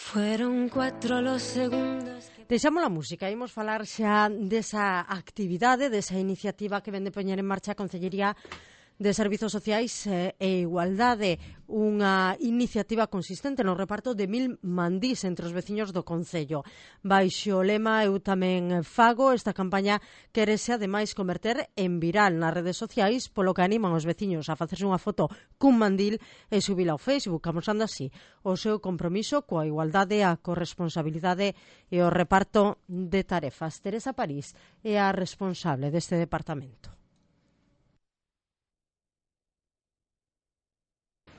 Fueron 4 los segundos. Deixamos a música, imos falar xa desa actividade, desa iniciativa que vende poñer en marcha a Concellería de Servizos Sociais e Igualdade, unha iniciativa consistente no reparto de 1000 mandís entre os veciños do Concello. Baixo o lema Eu tamén fago, esta campaña querese ademais converter en viral nas redes sociais, polo que animan os veciños a facerse unha foto cun mandil e subila ao Facebook, amosando así o seu compromiso coa igualdade, a corresponsabilidade e o reparto de tarefas. Teresa París é a responsable deste departamento.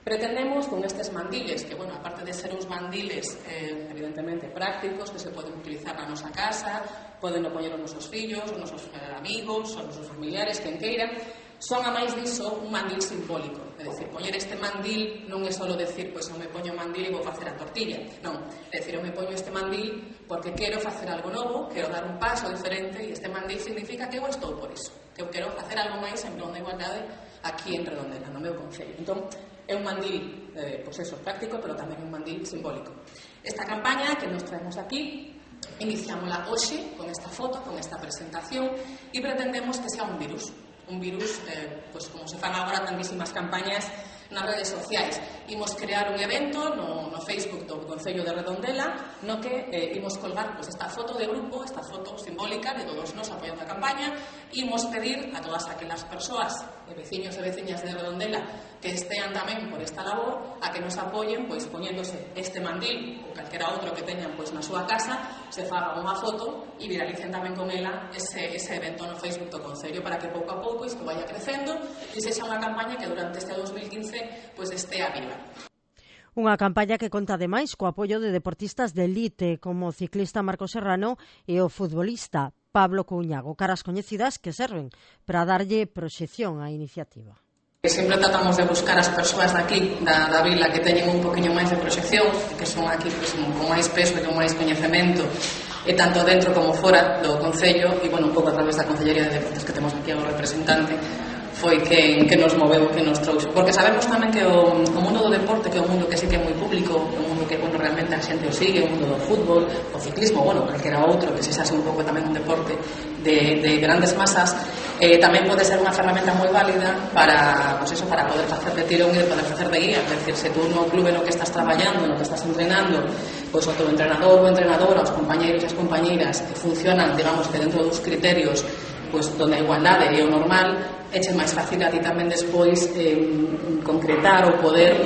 Pretendemos con estes mandiles, que, bueno, aparte de ser uns mandiles evidentemente prácticos, que se poden utilizar na nosa casa, poden poñer os nosos fillos, os nosos amigos, os nosos familiares, quen queira, son, a máis diso, un mandil simbólico. É dicir, poñer este mandil non é só decir, pois eu me poño o mandil e vou facer a tortilla. Non, é dicir, eu me poño este mandil porque quero facer algo novo, quero dar un paso diferente, e este mandil significa que eu estou por iso, que eu quero facer algo máis en prol da igualdade aquí en Redondela, no meu concello. Entón, é un mandil, pois eso, práctico, pero tamén un mandil simbólico. Esta campaña que nos traemos aquí, iniciámola hoxe con esta foto, con esta presentación, e pretendemos que sea un virus, pois como se fan agora tantísimas campañas nas redes sociais. Imos crear un evento no Facebook do Concello de Redondela, no que imos colgar pois esta foto de grupo, esta foto simbólica de todos nós apoiando a campaña. Imos pedir a todas aquelas persoas, veciños e veciñas de Redondela, que estean tamén por esta labor, a que nos apoyen pois poñéndose este mandil ou calquera outro que teñan pois na súa casa, se faga unha foto e viralicen tamén con ela ese evento no Facebook do Concello, para que pouco a pouco isto vaya crecendo e sexa unha campaña que durante este 2015 pois estea viva. Unha campaña que conta ademais co apoio de deportistas de elite como o ciclista Marcos Serrano e o futbolista Pablo Couñago, caras coñecidas que serven para darlle proxección á iniciativa. Sempre tratamos de buscar as persoas daqui, da vila, que teñen un poquinho máis de proxección, que son aquí pois, con máis peso e con máis coñecemento, e tanto dentro como fora do Concello, e, bueno, un pouco a través da Concellería de Deportes que temos aquí ao representante, foi que nos moveu, que nos trouxe. Porque sabemos tamén que o mundo do deporte, que é un mundo que sí que é moi público, un mundo que, bueno, realmente a xente o sigue, o mundo do fútbol, o ciclismo, bueno, calquera outro, que se xa un pouco tamén un deporte de grandes masas, tamén pode ser unha ferramenta moi válida para, pues eso, para poder facer de tirón e poder facer de guía. É dicir, se tú no clube no que estás traballando, no que estás entrenando, pois o teu entrenador ou entrenadora, os compañeiros e as compañeiras que funcionan, digamos, que dentro dos criterios pois donde a igualdade é o normal, eche máis fácil a ti tamén despois concretar ou poder,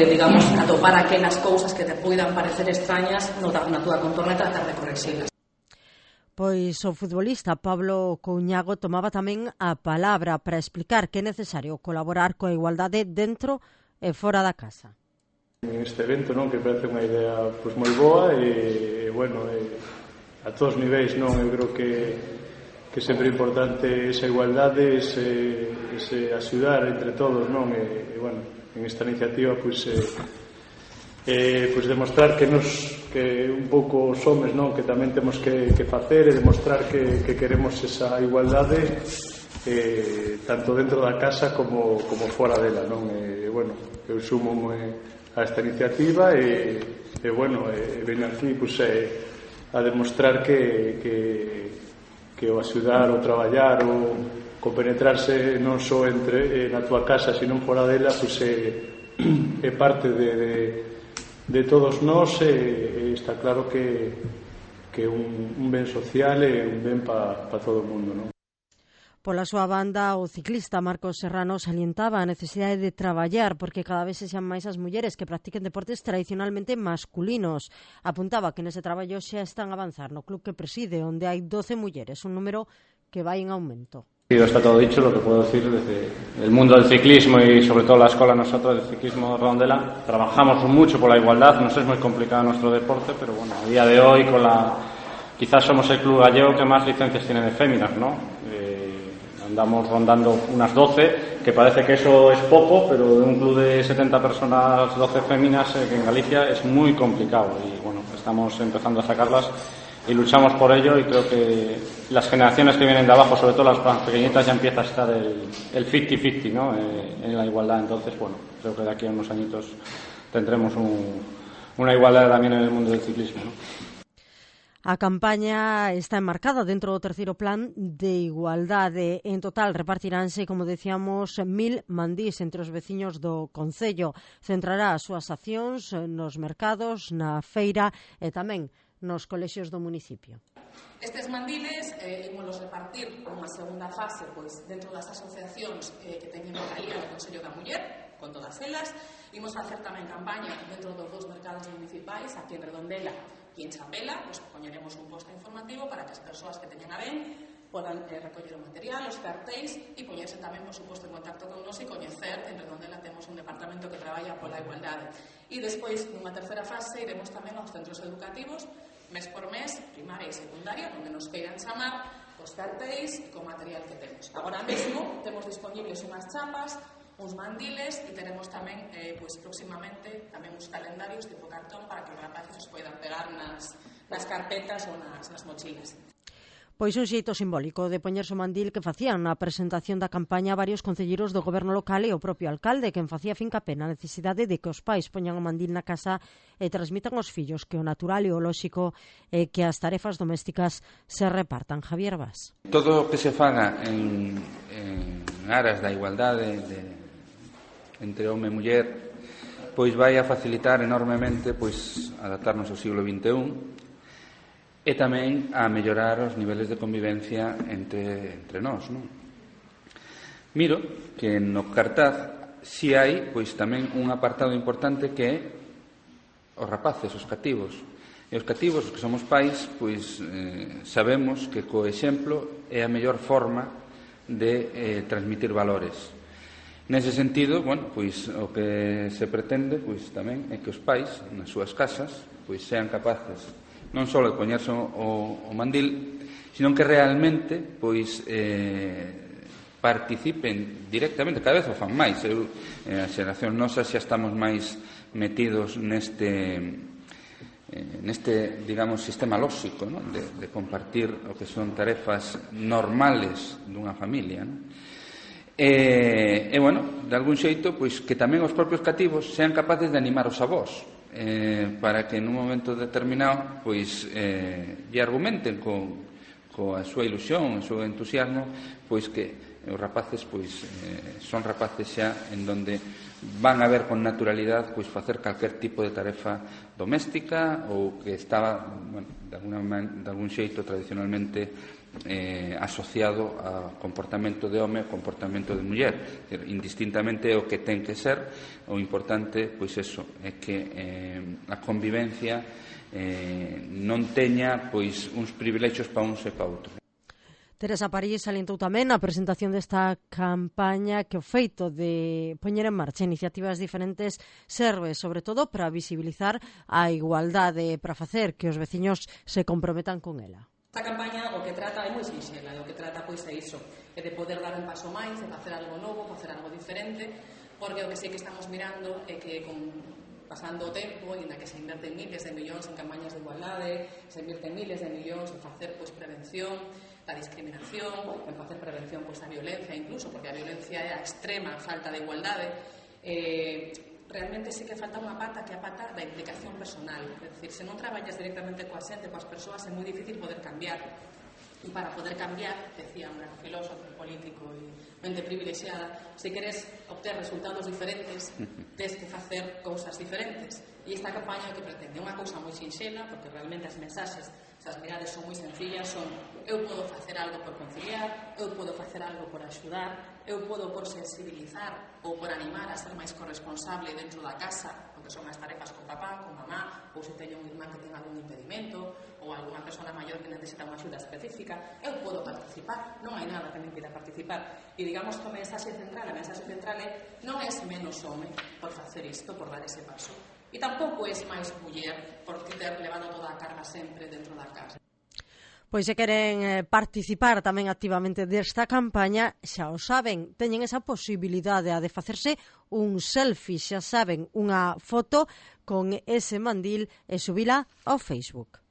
digamos, atopar aquelas cousas que te poidan parecer extrañas na túa contorna e tratar de correxilas. Pois o futbolista Pablo Couñago tomaba tamén a palabra para explicar que é necesario colaborar coa igualdade dentro e fora da casa. Este evento, non, que parece unha idea pois moi boa e bueno, a todos os niveis, non, eu creo que sempre é importante esa igualdade, ese axudar entre todos, non? E bueno, en esta iniciativa pois demostrar que un pouco os homes, non, que tamén temos que facer e demostrar que queremos esa igualdade tanto dentro da casa como fora dela, non? E bueno, eu sumo a esta iniciativa e bueno, ven aquí pois a demostrar que o axudar, o traballar, o compenetrarse non só entre na túa casa, sino fora dela, pois é parte de todos nós e está claro que é un ben social e un ben para todo o mundo, non? Pola súa banda, o ciclista Marcos Serrano salientaba a necesidade de traballar porque cada vez se xan máis as mulleres que practiquen deportes tradicionalmente masculinos. Apuntaba que nese traballo xa están a avanzar no club que preside, onde hai 12 mulleres, un número que vai en aumento. Está todo dicho, lo que puedo decir desde el mundo del ciclismo y sobre todo la escuela nosotros del ciclismo Redondela. Trabajamos mucho por la igualdad, nos es muy complicado nuestro deporte, pero bueno, a día de hoy quizás somos el club gallego que más licencias tiene de féminas, ¿no? Andamos rondando unas 12, que parece que eso es poco, pero de un club de 70 personas, 12 féminas, que en Galicia es muy complicado. Y bueno, estamos empezando a sacarlas y luchamos por ello, y creo que las generaciones que vienen de abajo, sobre todo las más pequeñitas, ya empieza a estar el 50-50, ¿no? En la igualdad. Entonces, bueno, creo que de aquí a unos añitos tendremos una igualdad también en el mundo del ciclismo, ¿no? A campaña está enmarcada dentro do terceiro plan de igualdade. En total repartiránse, como decíamos, 1000 mandís entre os veciños do concello. Centrará as súas accións nos mercados, na feira e tamén nos colexios do municipio. Estes mandiles ímolos repartir nunha segunda fase dentro das asociacións que teñen localía no Consello da Muller, con todas elas. Imos facer tamén campaña dentro dos 2 mercados municipais, aquí en Redondela e en Chapela. Poñeremos un posto informativo para que as persoas que teñen a ben podan recoller o material, os cartéis e poñerse tamén, por suposto, en contacto con nos e coñecer. En Redondela temos un departamento que traballa pola igualdade. E despois, nunha terceira fase, iremos tamén aos centros educativos, mes por mes, primaria e secundaria, onde nos queiran chamar os cartéis e co material que temos. Agora mesmo temos disponibles unhas chapas, uns mandiles e teremos tamén próximamente tamén uns calendarios tipo cartón para que os rapaces os poidan pegar nas carpetas ou nas mochilas. Pois un xeito simbólico de poñerse o mandil que facían na presentación da campaña varios concelleiros do goberno local e o propio alcalde, quen facía fincapé na necesidade de que os pais poñan o mandil na casa e transmitan aos fillos que o natural e o lóxico é que as tarefas domésticas se repartan. Javier Bas. Todo o que se faga en aras da igualdade entre home e muller pois vai a facilitar enormemente adaptarnos ao siglo XXI e tamén a mellorar os niveles de convivencia entre nós, non? Miro que no cartaz si hai tamén un apartado importante que é os rapaces, os cativos. E os cativos, os que somos pais, sabemos que co exemplo é a mellor forma de transmitir valores. Nese sentido, o que se pretende tamén é que os pais nas súas casas sean capaces non só de poñerse o mandil, sino que realmente participen directamente, cada vez o fan máis. A xeración nosa xa estamos máis metidos neste digamos, sistema lóxico, ¿no? de compartir o que son tarefas normales dunha familia, ¿no? De algún xeito, que tamén os propios cativos sean capaces de animar os avós, para que nun momento determinado lle argumenten coa súa ilusión, o seu entusiasmo, que os rapaces son rapaces xa en donde van a ver con naturalidade facer calquer tipo de tarefa doméstica ou que estaba de algún xeito tradicionalmente asociado ao comportamento de home e ao comportamento de muller. Indistintamente é o que ten que ser. O importante é que a convivencia non teña uns privilexios para uns e para outros. Teresa París salientou tamén na presentación desta campaña que o feito de poñer en marcha iniciativas diferentes serve, sobre todo, para visibilizar a igualdade, para facer que os veciños se comprometan con ela. Esta campaña o que trata é moi sinxela, o que trata é iso, é de poder dar un paso máis, de facer algo novo, facer algo diferente, porque o que sí que estamos mirando é que pasando o tempo, inda que se inverten miles de millóns en campañas de igualdade, se inverten miles de millóns en facer prevención da discriminación, en facer prevención da violencia incluso, porque a violencia é a extrema falta de igualdade, realmente sí que falta unha pata que é a pata da implicación personal. É dicir, se non traballas directamente coa xente, coas persoas, é moi difícil poder cambiar. E para poder cambiar, decía un gran filósofo, político e mente privilexiada, se queres obter resultados diferentes, tens que facer cousas diferentes. E esta campaña que pretende unha cousa moi sinxela, porque realmente as mensaxes, as mirades son moi sencillas, son eu podo facer algo por conciliar, eu podo facer algo por axudar, eu podo por sensibilizar ou por animar a ser máis corresponsable dentro da casa, porque son as tarefas con papá, con mamá, ou se teño un irmán que ten algún impedimento, ou alguna persona maior que necesita unha axuda específica, eu podo participar, non hai nada que me impida participar. E digamos que a mensaxe central é non é menos home por facer isto, por dar ese paso. E tampouco é máis muller por ter levado toda a carga sempre dentro da casa. Pois se queren participar tamén activamente desta campaña, xa o saben, teñen esa posibilidade de facerse un selfie, xa saben, unha foto con ese mandil e subila ao Facebook.